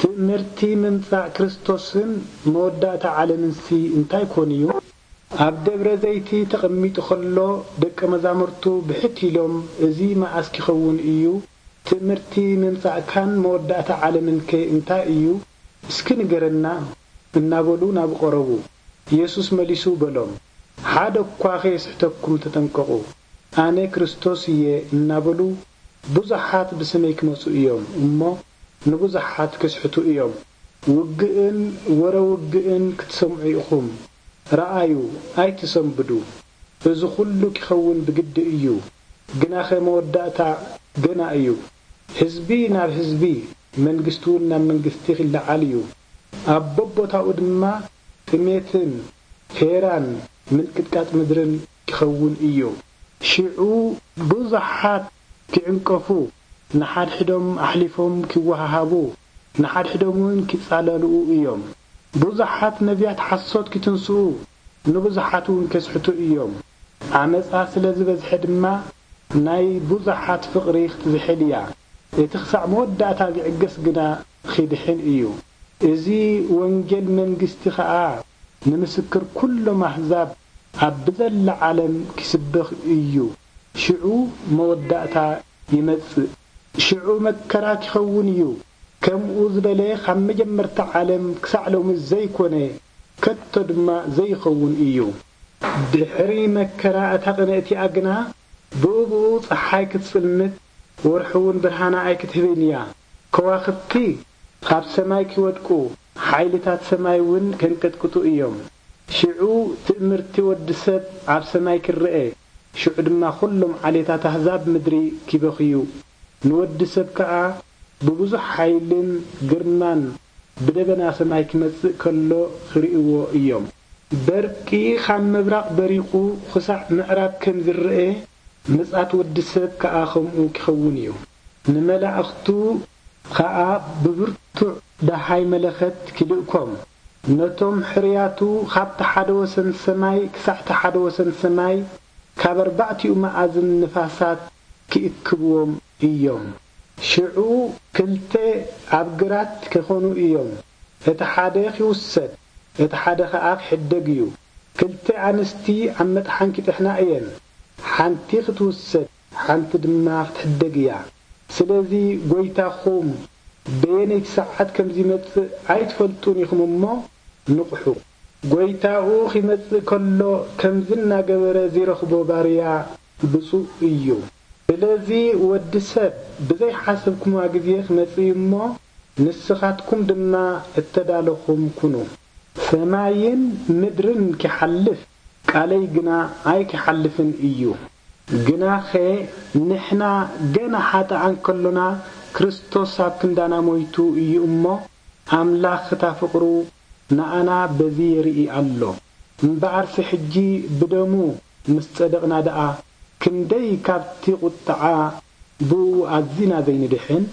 ትእምርቲ ምምጻእ ክርስቶስን መወዳእታ ዓለምንሲ እንታይ ኮን እዩ? ኣብ ደብረ ዘይቲ ተቐሚጡ ኸሎ ደቀ መዛሙርቱ ብሕት ኢሎም፣ "እዚ መኣስ ኪኸውን እዩ? ትእምርቲ ምምጻእካን መወዳእታ ዓለምንከ እንታይ እዩ? እስኪ ንገረና" እናበሉ ናብኡ ቀረቡ። የሱስ መሊሱ በሎም፣ "ሓደ እኳ ኸየስሕተኩም ተጠንቀቑ። ኣነ ክርስቶስ እየ" እናበሉ ብዙሓት ብስመይ ክመጹ እዮም እሞ ንብዙሓት ክስሕቱ እዮም። ውግእን ወረ ውግእን ክትሰምዑ ኢኹም። ረኣዩ፣ ኣይትሰንብዱ። እዚ ኹሉ ኪኸውን ብግዲ እዩ፣ ግናኸ መወዳእታ ገና እዩ። ህዝቢ ናብ ህዝቢ፣ መንግስቲ እውን ናብ መንግስቲ ኺለዓል እዩ። ኣብ በቦታኡ ድማ ጥሜትን ፌራን ምንቅጥቃጥ ምድርን ኪኸውን እዩ። ሽዑ ብዙሓት ኪዕንቀፉ፣ ንሓድሕዶም ኣሕሊፎም ኪወሃሃቡ፣ ንሓድሕዶም እውን ኪጻለልኡ እዮም። ብዙሓት ነቢያት ሓሶት ኪትንስኡ፣ ንብዙሓት እውን ኬስሕቱ እዮም። ዓመጻ ስለ ዝበዝሐ ድማ ናይ ብዙሓት ፍቕሪ ክትዝሕል እያ። እቲ ኽሳዕ መወዳእታ ዚዕገስ ግና ኺድሕን እዩ። እዚ ወንጌል መንግስቲ ኸኣ ንምስክር ኩሎም ኣህዛብ ኣብ ብዘላ ዓለም ኪስበኽ እዩ። ሽዑ መወዳእታ ይመጽእ። ሽዑ መከራ ኪኸውን እዩ። ከምኡ ዝበለ ኻብ መጀመርታ ዓለም ክሳዕ ሎሚ ዘይኮነ፣ ከቶ ድማ ዘይኸውን እዩ። ድሕሪ መከራ እታ ቅንእቲኣ ግና፣ ብእብኡ ጸሓይ ክትጽልምት፣ ወርሒ እውን ብርሃና ኣይክትህብን እያ። ከዋኽብቲ ኻብ ሰማይ ኪወድቁ፣ ሓይልታት ሰማይ እውን ከንቀጥቅጡ እዮም። ሽዑ ትእምርቲ ወዲ ሰብ ኣብ ሰማይ ኪረአ፣ ሽዑ ድማ ኹሎም ዓሌታት ኣህዛብ ምድሪ ኪበኽዩ። ንወዲ ሰብ ከኣ ብብዙሕ ሓይልን ግርማን ብደበና ሰማይ ኪመጽእ ከሎ ኺርእይዎ እዮም። በርቂ ኻብ ምብራቕ በሪቑ ኽሳዕ ምዕራብ ከም ዚረአ፣ ምጽኣት ወዲ ሰብ ከኣ ኸምኡ ኪኸውን እዩ። ንመላእኽቱ ኸኣ ብብርቱዕ ደሃይ መለኸት ኪልእኮም፣ ነቶም ሕርያቱ ኻብቲ ሓደ ወሰን ሰማይ ክሳዕቲ ሓደ ወሰን ሰማይ፣ ካብ ኣርባዕቲኡ መኣዝን ንፋሳት ኪእክብዎም እዮም። ሽዑ ክልተ ኣብ ግራት ኪኾኑ እዮም፣ እቲ ሓደ ኺውሰድ፣ እቲ ሓደ ኸኣ ኪሕደግ እዩ። ክልተ ኣንስቲ ኣብ መጥሓን ኪጥሕና እየን፣ ሓንቲ ኽትውሰድ፣ ሓንቲ ድማ ኽትሕደግ እያ። ስለዚ ጐይታኹም በየነይቲ ሰዓት ከም ዚመጽእ ኣይትፈልጡን ኢኹም እሞ፣ ንቕሑ። ጐይታኡ ኺመጽእ ከሎ፣ ከምዚ እናገበረ ዚረኽቦ ባርያ ብጹእ እዩ። ስለዚ ወዲ ሰብ ብዘይሓሰብኩምዋ ግዜ ኪመጽእ እዩ እሞ፣ ንስኻትኩም ድማ እተዳለኹም ኩኑ። ሰማይን ምድርን ኪሓልፍ፣ ቃለይ ግና ኣይኪሓልፍን እዩ። ግናኸ ንሕና ገና ሓጥኣን ከሎና፣ ክርስቶስ ኣብ ክንዳና ሞይቱ እዩ እሞ፣ ኣምላኽ እታ ፍቕሩ ንኣና በዚ የርኢ ኣሎ። እምበኣርሲ ሕጂ ብደሙ ምስ ጸደቕና ደኣ፣ ክንደይ ካብቲ ቁጥዓ ብእኡ ኣዚና ዘይንድሕን?